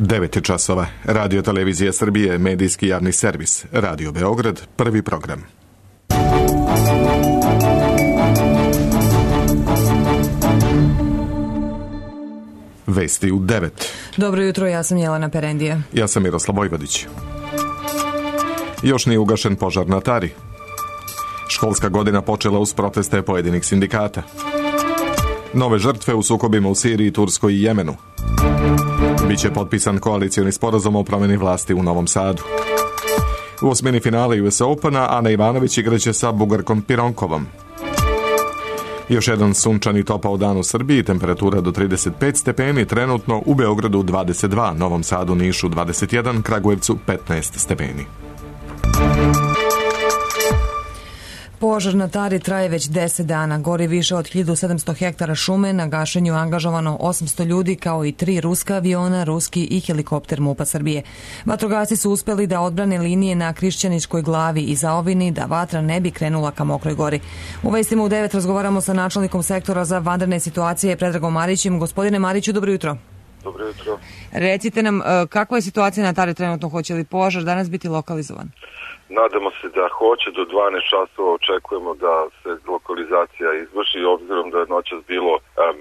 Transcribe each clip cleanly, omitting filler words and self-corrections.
9 časova. Radio Televizija Srbije, medijski javni servis. Radio Beograd, prvi program. Vesti u 9. Dobro jutro, ja sam Jelena Perendija. Ja sam Miroslav Vojvodić. Još nije ugašen požar na Tari. Školska godina počela uz proteste pojedinih sindikata. Nove žrtve u sukobima u Siriji, Turskoj i Jemenu. Biće potpisan koalicioni sporazum o promjeni vlasti u Novom Sadu. U osmini finale US Opena Ana Ivanović igraće sa Bugarkom Pironkovom. Još jedan sunčan i topao dan u Srbiji, temperatura do 35 stepeni, trenutno u Beogradu 22, Novom Sadu, Nišu 21, Kragujevcu 15 stepeni. Požar na Tari traje već 10 dana. Gori više od 1700 hektara šume, na gašenju angažovano 800 ljudi kao i 3 ruska aviona, ruski i helikopter MUP-a Srbije. Vatrogasci su uspeli da odbrane linije na Krišćaničkoj glavi i zaovini da vatra ne bi krenula ka Mokroj gori. U vestima u 9 razgovaramo sa načelnikom sektora za vanredne situacije Predragom Marićem. Gospodine Mariću, dobro jutro. Dobro jutro. Recite nam, kakva je situacija na Tari trenutno, hoće li požar danas biti lokalizovan? Nadamo se da hoće, do 12 časova očekujemo da se lokalizacija izvrši, obzirom da je noćas bilo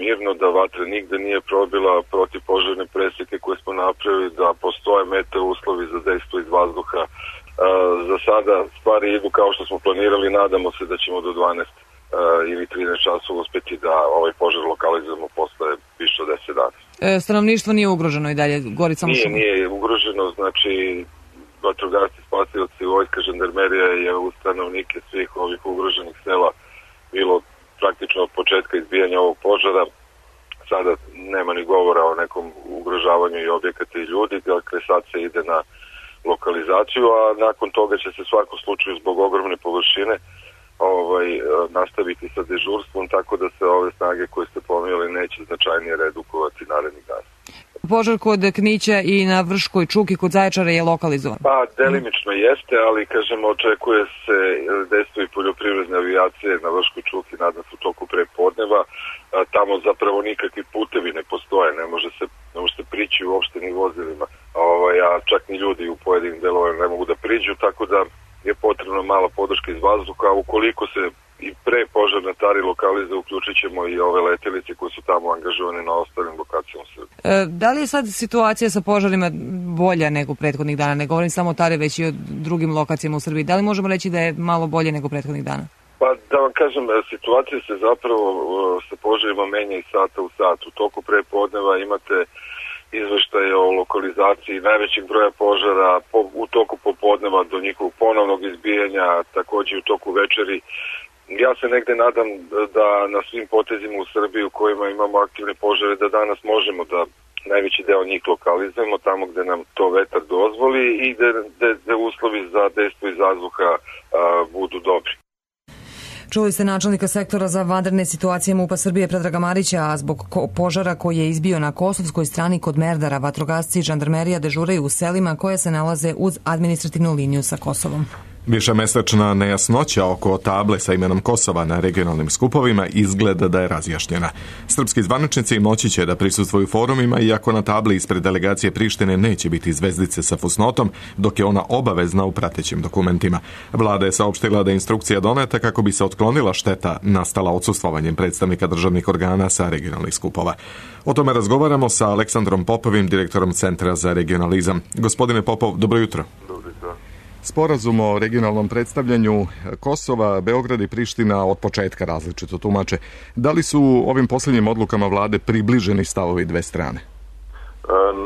mirno, da vatra nigde nije probila protivpožarne preseke koje smo napravili, da postoje meteo uslovi za dejstvo iz vazduha. Za sada stvari idu kao što smo planirali, nadamo se da ćemo do 12 ili 13 časova uspeti da ovaj požar lokalizujemo posle više od 10 dana. Stanovništvo nije ugroženo i dalje? Gori samo šume? Nije ugroženo, znači vatrogasci, spasioci, vojska, žandarmerija je u stanovnike svih ovih ugroženih sela bilo praktično od početka izbijanja ovog požara. Sada nema ni govora o nekom ugrožavanju i objekata i ljudi, dakle sad se ide na lokalizaciju, a nakon toga će se svakom slučaju zbog ogromne površine nastaviti sa dežurstvom, tako da se ove snage koje ste pominjali neće značajnije redukovati narednih dana. Požar kod Knića i na Vrškoj Čuki kod Zaječara je lokalizovan? Pa, delimično jeste, ali kažemo, očekuje se dejstvo i poljoprivredne avijacije na Vrškoj Čuki, nadam se u toku prepodneva. Tamo zapravo nikakvi putevi ne postoje, ne može se prići uopšte ni vozilima, a čak ni ljudi u pojedinim delovima ne mogu da priđu, tako da je potrebna mala podrška iz vazduha. Ukoliko se i pre požar na Tari lokalize, uključit ćemo i ove letelice koje su tamo angažovane na ostalim lokacijama u Srbiji. Da li je sad situacija sa požarima bolja nego prethodnih dana? Ne govorim samo o Tari, već i o drugim lokacijama u Srbiji. Da li možemo reći da je malo bolje nego prethodnih dana? Pa da vam kažem, situacija se zapravo sa požarima menja iz sata u sat. U toku prepodneva imate izveštaje o lokalizaciji najvećeg broja požara, u toku popodneva do njihovog ponovnog izbijanja, također u toku večeri. Ja se negde nadam da na svim potezima u Srbiji u kojima imamo aktivne požare, da danas možemo da najveći deo njih lokalizujemo tamo gde nam to vetar dozvoli i gde uslovi za dejstvo iz vazduha budu dobri. Čuli ste načelnika sektora za vanredne situacije MUP-a Srbije Predraga Marića, a zbog požara koji je izbio na kosovskoj strani kod Merdara, vatrogasci i žandarmerija dežuraju u selima koje se nalaze uz administrativnu liniju sa Kosovom. Višemesečna nejasnoća oko table sa imenom Kosova na regionalnim skupovima izgleda da je razjašnjena. Srpski zvaničnici moći će da prisustvuju forumima, iako na tabli ispred delegacije Prištine neće biti zvezdice sa fusnotom, dok je ona obavezna u pratećim dokumentima. Vlada je saopštila da je instrukcija doneta kako bi se otklonila šteta nastala odsustvovanjem predstavnika državnih organa sa regionalnih skupova. O tome razgovaramo sa Aleksandrom Popovim, direktorom Centra za regionalizam. Gospodine Popov, dobro jutro. Sporazum o regionalnom predstavljanju Kosova, Beograd i Priština od početka različito tumače. Da li su ovim posljednjim odlukama vlade približeni stavovi dve strane?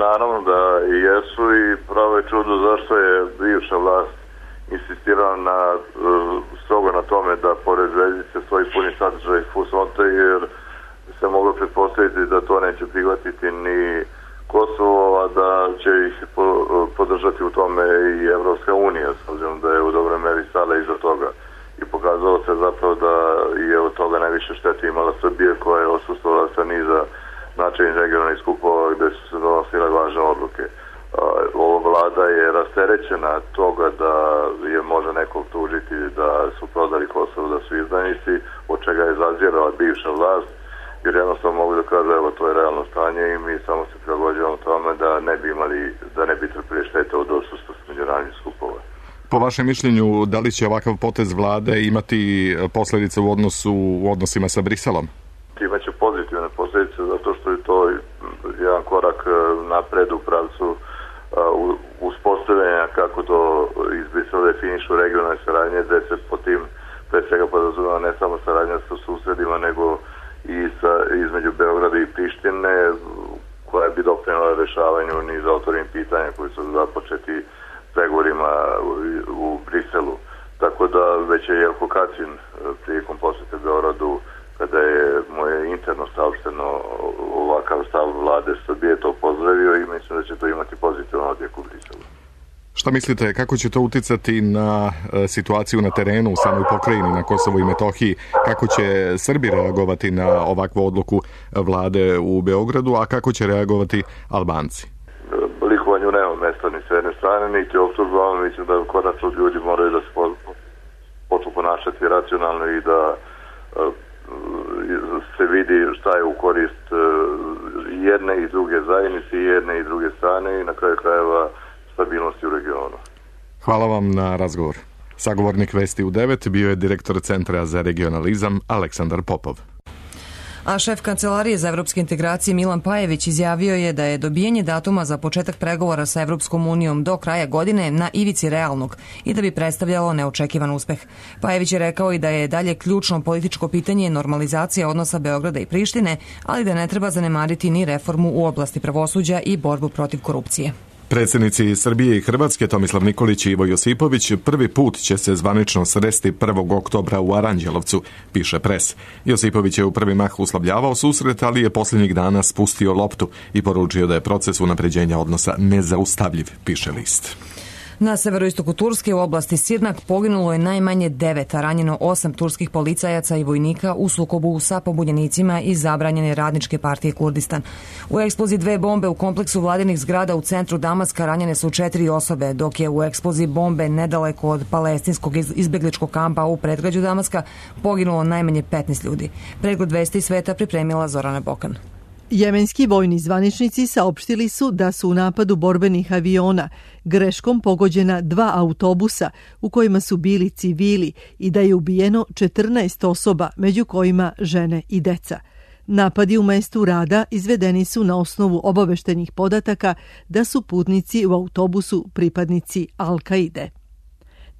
Naravno da jesu i pravo je čudo zašto je bivša vlast insistirala strogo na tome da pored zvezdice stoji puni sadržaj fusnote, jer se moglo pretpostaviti da to neće prihvatiti ni Kosovo, a da će ih podržati u tome i Evropska unija, s obzirom da je u dobroj meri stala iza toga. I pokazalo se zapravo da je od toga najviše štete imala Srbija, koja je osustala sa niza značajnih regionalnih skupova gde su se donosile važne odluke. Ova vlada je rasterećena toga da je može nekog tužiti da su prodali Kosovo, da su izdajnici, od čega je zazirala bivša vlast. jer jednostavno mogu da kažu evo to je realno stanje i mi samo se prilagođavamo tome da ne bi trpili štete od odsustva međunarodnih skupova. Po vašem mišljenju, da li će ovakav potez vlade imati posljedice u odnosima sa Briselom? Imaće pozitivne posljedice zato što je to jedan korak napred u pravcu uspostavljanja kako to iz Brisela definišu regionalne saradnje, gde se po tim pre svega podrazumeva ne samo saradnja sa susedima, nego i između Beograda i Prištine, koja bi doprinela rešavanju niza otvorenih pitanja koji su započeti pregovorima u Briselu. Tako da već je Jelko Kacin prilikom posete Beogradu, kada je moje interno saopšteno ovakav stav vlade Srbije, to pozdravio i mislim da će to imati pozitivan odjek u Briselu. Šta mislite, kako će to uticati na situaciju na terenu u samoj pokrajini na Kosovu i Metohiji? Kako će Srbi reagovati na ovakvu odluku vlade u Beogradu, a kako će reagovati Albanci? Likovanju nema mesta ni s jedne strane, niti optužbama. Mislim da konačno ljudi moraju da se počnu ponašati racionalno i da se vidi šta je u korist jedne i druge zajednice, jedne i druge strane i na kraju krajeva stabilnosti u regionu. Hvala vam na razgovor. Sagovornik Vesti u 9 bio je direktor Centra za regionalizam Aleksandar Popov. A šef Kancelarije za evropske integracije Milan Pajević izjavio je da je dobijanje datuma za početak pregovora sa Evropskom unijom do kraja godine na ivici realnog i da bi predstavljalo neočekivan uspeh. Pajević je rekao i da je dalje ključno političko pitanje normalizacija odnosa Beograda i Prištine, ali da ne treba zanemariti ni reformu u oblasti pravosuđa i borbu protiv korupcije. Predsjednici Srbije i Hrvatske Tomislav Nikolić i Ivo Josipović prvi put će se zvanično sresti 1. oktobra u Aranđelovcu, piše Pres. Josipović je u prvi mah uslovljavao susret, ali je posljednjih dana spustio loptu i poručio da je proces unapređenja odnosa nezaustavljiv, piše List. Na severoistoku Turske u oblasti Sirnak poginulo je najmanje 9, a ranjeno 8 turskih policajaca i vojnika u sukobu sa pobunjenicima iz zabranjene radničke partije Kurdistan. U eksploziji 2 bombe u kompleksu vladinih zgrada u centru Damaska ranjene su 4 osobe, dok je u eksploziji bombe nedaleko od palestinskog izbegličkog kampa u predgrađu Damaska poginulo najmanje 15 ljudi. Pregled vesti sveta pripremila Zorana Bokan. Jemenski vojni zvaničnici saopštili su da su u napadu borbenih aviona greškom pogođena 2 autobusa u kojima su bili civili i da je ubijeno 14 osoba, među kojima žene i deca. Napadi u mestu rada izvedeni su na osnovu obaveštenih podataka da su putnici u autobusu pripadnici Al-Kaide.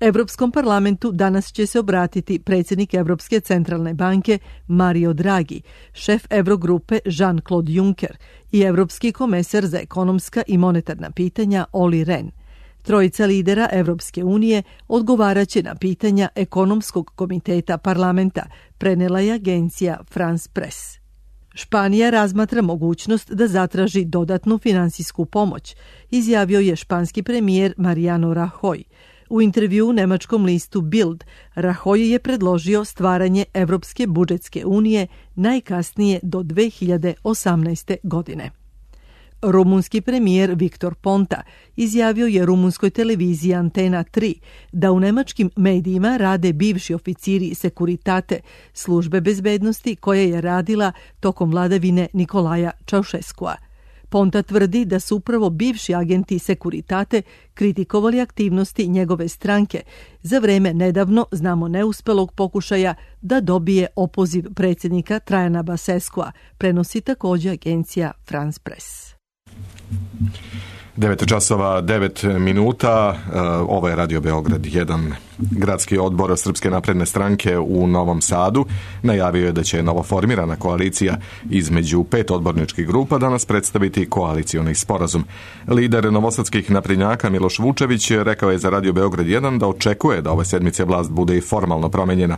Evropskom parlamentu danas će se obratiti predsjednik Evropske centralne banke Mario Draghi, šef Eurogrupe Jean-Claude Juncker i Evropski komesar za ekonomska i monetarna pitanja Olli Rehn. Trojica lidera Evropske unije odgovaraće na pitanja ekonomskog komiteta parlamenta, prenela je agencija France Press. Španija razmatra mogućnost da zatraži dodatnu finansijsku pomoć, izjavio je španski premijer Mariano Rajoy. U intervjuu nemačkom listu Bild, Rajoy je predložio stvaranje Evropske budžetske unije najkasnije do 2018. godine. Rumunski premijer Viktor Ponta izjavio je rumunskoj televiziji Antena 3 da u nemačkim medijima rade bivši oficiri Sekuritate, službe bezbednosti koja je radila tokom vladavine Nikolaja Čaušeskua. Ponta tvrdi da su upravo bivši agenti Sekuritate kritikovali aktivnosti njegove stranke za vreme nedavno, znamo neuspelog pokušaja da dobije opoziv predsjednika Trajana Baseskua, prenosi također agencija France Press. 9 časova, 9 minuta, ovo je Radio Beograd 1. Gradski odbor Srpske napredne stranke u Novom Sadu najavio je da će novoformirana koalicija između 5 odborničkih grupa danas predstaviti koalicioni sporazum. Lider novosadskih naprednjaka Miloš Vučević rekao je za Radio Beograd 1 da očekuje da ove sedmice vlast bude i formalno promenjena.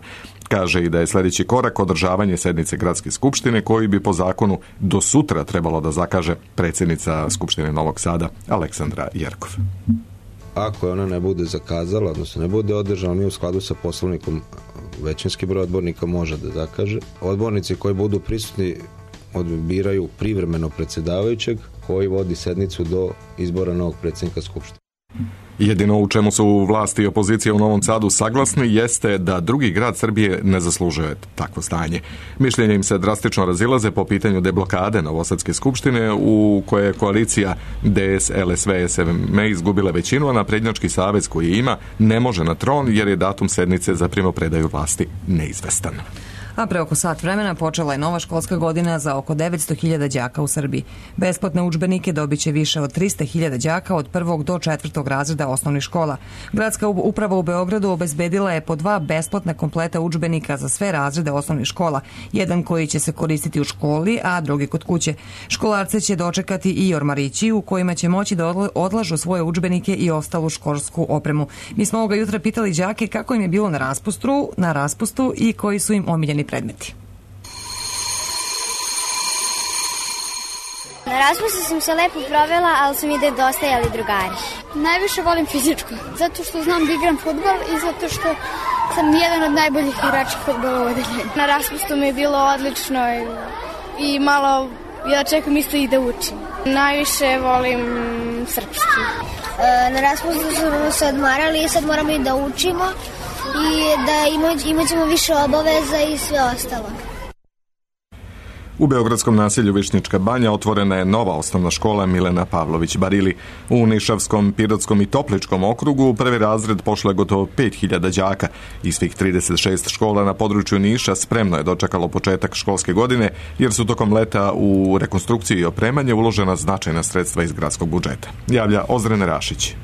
Kaže i da je sljedeći korak održavanje sednice Gradske skupštine koji bi po zakonu do sutra trebalo da zakaže predsjednica Skupštine Novog Sada Aleksandra Jerkov. Ako ona ne bude zakazala, odnosno ne bude održana, mi u skladu sa poslovnikom većinski broj odbornika može da zakaže. Odbornici koji budu prisutni biraju privremeno predsjedavajućeg koji vodi sednicu do izbora novog predsjednika Skupštine. Jedino u čemu su vlasti i opozicija u Novom Sadu saglasni jeste da drugi grad Srbije ne zaslužuje takvo stanje. Mišljenje im se drastično razilaze po pitanju deblokade Novosadske skupštine u kojoj je koalicija DS, LSV, SVM izgubila većinu, a Naprednjački savez koji ima ne može na tron jer je datum sednice za primopredaju vlasti neizvestan. A pre oko sat vremena počela je nova školska godina za oko 900.000 đaka u Srbiji. Besplatne udžbenike dobit će više od 300.000 đaka od 1. do 4. razreda osnovnih škola. Gradska uprava u Beogradu obezbedila je po 2 besplatna kompleta udžbenika za sve razrede osnovnih škola, jedan koji će se koristiti u školi, a drugi kod kuće. Školarce će dočekati i ormarići u kojima će moći da odlažu svoje udžbenike i ostalu školsku opremu. Mi smo ovoga jutra pitali đake kako im je bilo na raspustu i koji su im omiljeni predmeti. Na raspustu sam se lepo provela, ali su mi nedostajali drugari. Najviše volim fizičko, zato što znam da igram fudbal i zato što sam jedan od najboljih igrača fudbala u odeljenju. Na raspustu mi je bilo odlično i malo, ja čekam isto i da učim. Najviše volim srpski. Na raspustu smo se odmarali i sad moramo i da učimo i da imat ćemo više obaveza i sve ostalo. U beogradskom naselju Višnjička banja otvorena je nova osnovna škola Milena Pavlović Barili. U Nišavskom, Pirotskom i Topličkom okrugu u prvi razred pošlo je gotovo 5.000 đaka. Iz svih 36 škola na području Niša spremno je dočekalo početak školske godine jer su tokom leta u rekonstrukciju i opremanje uložena značajna sredstva iz gradskog budžeta. Javlja Ozren Rašić.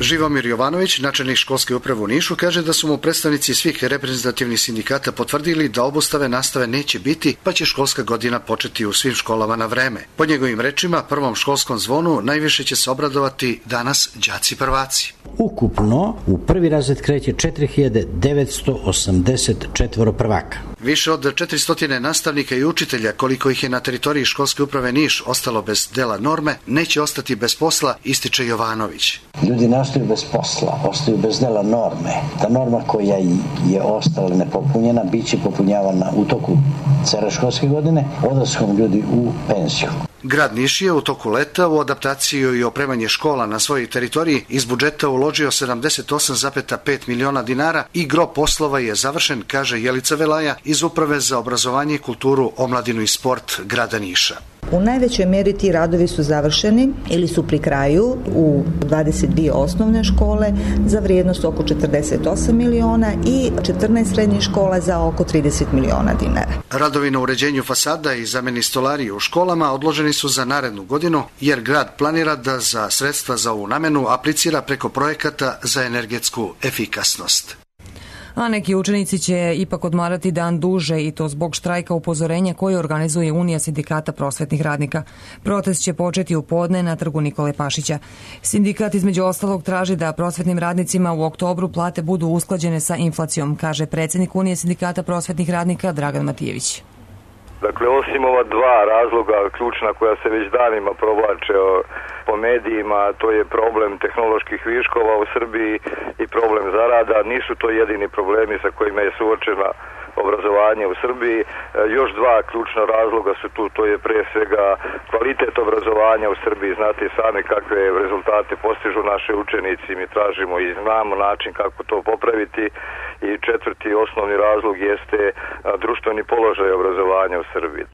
Živomir Jovanović, načelnik školske uprave u Nišu, kaže da su mu predstavnici svih reprezentativnih sindikata potvrdili da obustave nastave neće biti, pa će školska godina početi u svim školama na vreme. Po njegovim rečima, prvom školskom zvonu najviše će se obradovati danas đaci prvaci. Ukupno u prvi razred kreće 4.984 prvaka. Više od 400 nastavnika i učitelja, koliko ih je na teritoriji školske uprave Niš ostalo bez dela norme, neće ostati bez posla, ističe Jovanović. Ljudi ne ostaju bez posla, ostaju bez dela norme. Ta norma koja je ostala nepopunjena bit će popunjavana u toku cele školske godine, odlaskom ljudi u penziju. Grad Niš je u toku leta u adaptaciju i opremanje škola na svojoj teritoriji iz budžeta uložio 78,5 miliona dinara i gro poslova je završen, kaže Jelica Velaja iz Uprave za obrazovanje, kulturu, omladinu i sport grada Niša. U najvećoj meri ti radovi su završeni ili su pri kraju u 22 osnovne škole za vrijednost oko 48 miliona i 14 srednjih škola za oko 30 miliona dinara. Radovi na uređenju fasada i zameni stolarije u školama odloženi su za narednu godinu jer grad planira da za sredstva za ovu namenu aplicira preko projekata za energetsku efikasnost. A neki učenici će ipak odmarati dan duže i to zbog štrajka upozorenja koji organizuje Unija sindikata prosvetnih radnika. Protest će početi u podne na trgu Nikole Pašića. Sindikat između ostalog traži da prosvetnim radnicima u oktobru plate budu usklađene sa inflacijom, kaže predsjednik Unije sindikata prosvetnih radnika Dragan Matijević. Dakle, osim ova dva razloga ključna koja se već danima provlače po medijima, to je problem tehnoloških viškova u Srbiji i problem zarada. Nisu to jedini problemi sa kojima je suočena obrazovanje u Srbiji. Još dva ključna razloga su tu, to je pre svega kvalitet obrazovanja u Srbiji. Znate sami kakve rezultate postižu naše učenici, mi tražimo i znamo način kako to popraviti. I četvrti osnovni razlog jeste društveni položaj obrazovanja u Srbiji.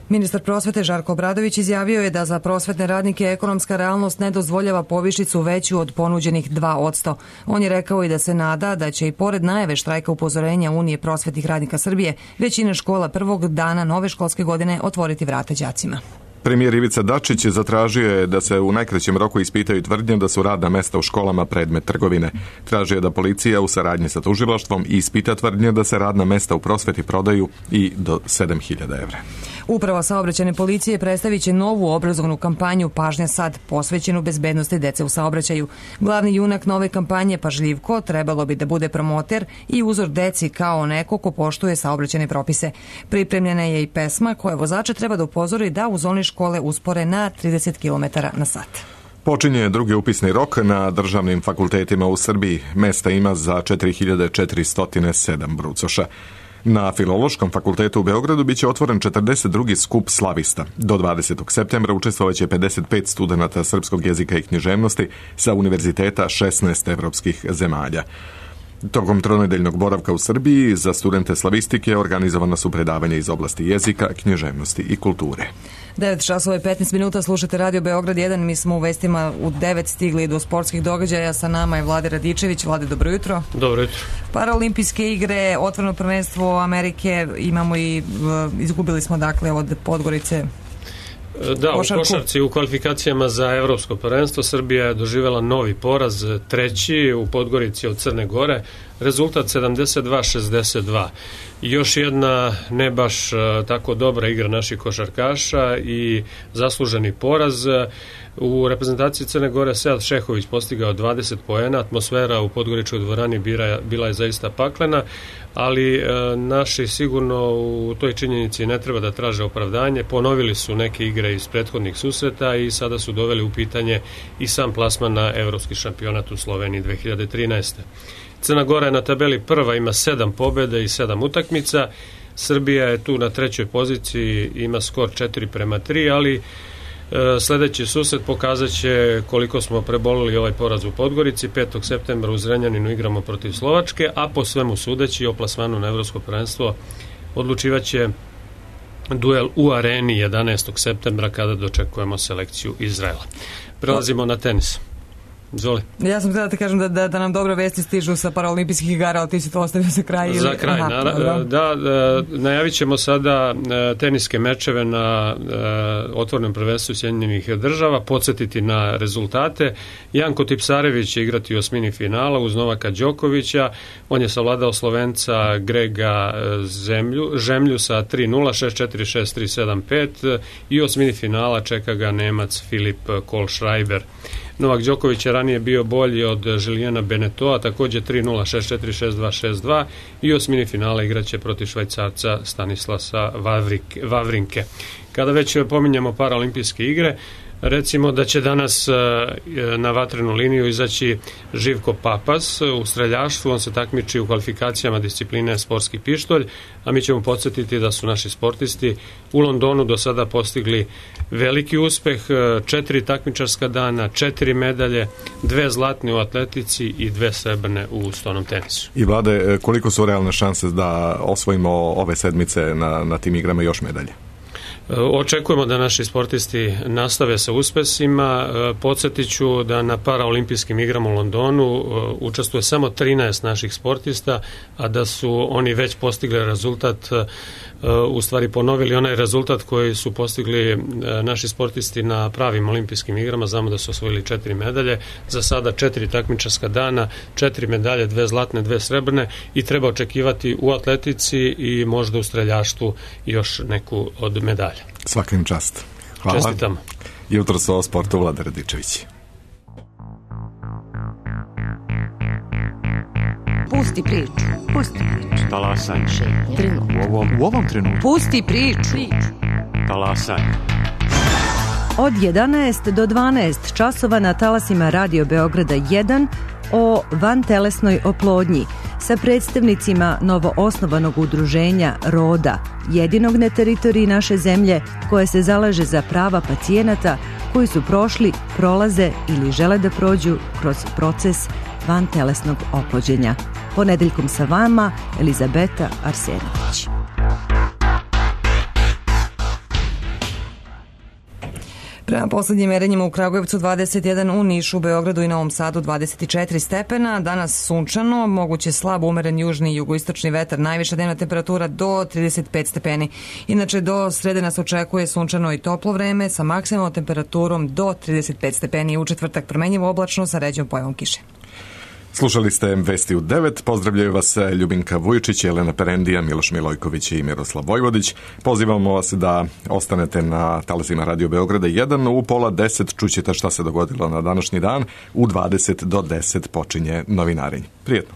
Ministar prosvete Žarko Obradović izjavio je da za prosvetne radnike ekonomska realnost ne dozvoljava povišicu veću od ponuđenih 2%. On je rekao i da se nada da će i pored najave štrajka upozorenja Unije prosvetnih radnika Srbije većina škola prvog dana nove školske godine otvoriti vrata đacima. Premijer Ivica Dačić zatražio je da se u najkraćem roku ispitaju tvrdnje da su radna mesta u školama predmet trgovine. Tražio je da policija u saradnji sa tužilaštvom ispita tvrdnje da se radna mesta u prosveti prodaju i do 7.000 evra. Uprava saobraćajne policije predstavit će novu obrazovnu kampanju Pažnja sad, posvećenu bezbednosti dece u saobraćaju. Glavni junak nove kampanje, Pažljivko, trebalo bi da bude promoter i uzor deci kao neko ko poštuje saobraćajne propise. Pripremljena je i pesma koja vozače treba da upozori da u zoni škole uspore na 30 km na sat. Počinje drugi upisni rok na državnim fakultetima u Srbiji. Mesta ima za 4.407 brucoša. Na Filološkom fakultetu u Beogradu biće otvoren 42. skup slavista. Do 20. septembra učestvovaće 55 studenata srpskog jezika i književnosti sa univerziteta 16 evropskih zemalja. Tokom tronedeljnog boravka u Srbiji za studente slavistike organizovana su predavanja iz oblasti jezika, književnosti i kulture. 9 časova i 15 minuta, slušate Radio Beograd 1. Mi smo u vestima u 9 stigli do sportskih događaja. Sa nama je Vlade Radičević. Vlade, dobro jutro. Dobro jutro. Paraolimpijske igre, otvoreno prvenstvo Amerike, imamo i izgubili smo dakle od Podgorice. Da, u košarci u kvalifikacijama za evropsko prvenstvo Srbija je doživjela novi poraz, treći u Podgorici od Crne Gore, rezultat 72-62. Još jedna ne baš tako dobra igra naših košarkaša i zasluženi poraz. U reprezentaciji Crne Gore Sead Šehović postigao 20 poena, atmosfera u Podgoričkoj dvorani bila je zaista paklena, ali naši sigurno u toj činjenici ne treba da traže opravdanje. Ponovili su neke igre iz prethodnih susreta i sada su doveli u pitanje i sam plasman na evropski šampionat u Sloveniji 2013. Crna Gora je na tabeli prva, ima 7 pobjeda i 7 utakmica. Srbija je tu na trećoj poziciji, ima skor 4-3, ali sljedeći susret pokazat će koliko smo prebolili ovaj poraz u Podgorici. 5. septembra u Zrenjaninu igramo protiv Slovačke, a po svemu sudeći o plasmanu na evropsko prvenstvo odlučivaće duel u Areni 11. septembra kada dočekujemo selekciju Izraela. Prelazimo na tenis. Izvoli. Ja sam htjela da te kažem da nam dobro vesti stižu sa paraolimpijskih igara, ali ti si to ostavio za kraj. Za kraj, najavit ćemo sada teniske mečeve na otvorenom prvenstvu Sjedinjenih Država, podsjetiti na rezultate. Janko Tipsarević će igrati u osmini finala uz Novaka Đokovića, on je savladao Slovenca Grega Žemlju sa 3-0, 6-4, 6-3, 7-5 i u osmini finala čeka ga Nemac Filip Kohlschreiber. Novak Đoković je ranije bio bolji od Žilijana Benetoa, također 3-0, 6-4, 6-2, 6-2 i osmini finala igraće protiv Švajcarca Stanislasa Wawrinke. Kada već pominjamo paraolimpijske igre, recimo da će danas na vatrenu liniju izaći Živko Papas u streljaštvu. On se takmiči u kvalifikacijama discipline sportski pištolj, a mi ćemo podsjetiti da su naši sportisti u Londonu do sada postigli veliki uspeh, 4 takmičarska dana, 4 medalje, 2 zlatne u atletici i 2 srebrne u stonom tenisu. I Vlade, koliko su realne šanse da osvojimo ove sedmice na tim igrama još medalje? Očekujemo da naši sportisti nastave sa uspesima. Podsjetit ću da na paraolimpijskim igrama u Londonu učestvuje samo 13 naših sportista, a da su oni već postigli rezultat, u stvari ponovili onaj rezultat koji su postigli naši sportisti na pravim olimpijskim igrama. Znamo da su osvojili 4 medalje, za sada 4 takmičarska dana, 4 medalje, 2 zlatne, 2 srebrne i treba očekivati u atletici i možda u streljaštvu još neku od medalja. Svaka im čast. Hvala. Čestitam. Jutro su o sportu Vlada Radičević. Pusti priču. Pusti priču. Talasaj. U ovom trenutku. Pusti priču. Talasaj. Od 11 do 12 časova na talasima Radio Beograda 1 o vantelesnoj oplodnji sa predstavnicima novoosnovanog udruženja Roda, jedinog na teritoriji naše zemlje koje se zalaže za prava pacijenata koji su prošli, prolaze ili žele da prođu kroz proces vantelesnog oplođenja. Ponedeljkom sa vama Elizabeta Arsenović. Prema poslednjim merenjima u Kragujevcu 21, u Nišu, Beogradu i Novom Sadu 24 stepena, danas sunčano, moguće slab umeren južni i jugoistočni vetar, najviša dnevna temperatura do 35 stepeni. Inače, do srede nas očekuje sunčano i toplo vreme sa maksimalnom temperaturom do 35 stepeni, u četvrtak promenjivo oblačno sa ređom pojavom kiše. Slušali ste Vesti u 9. Pozdravljaju vas Ljubinka Vujičić, Jelena Perendija, Miloš Milojković i Miroslav Vojvodić. Pozivamo vas da ostanete na talasima Radio Beograda 1. U 9:30 čućete šta se dogodilo na današnji dan. U 20 do 10 počinje novinarenje. Prijetno.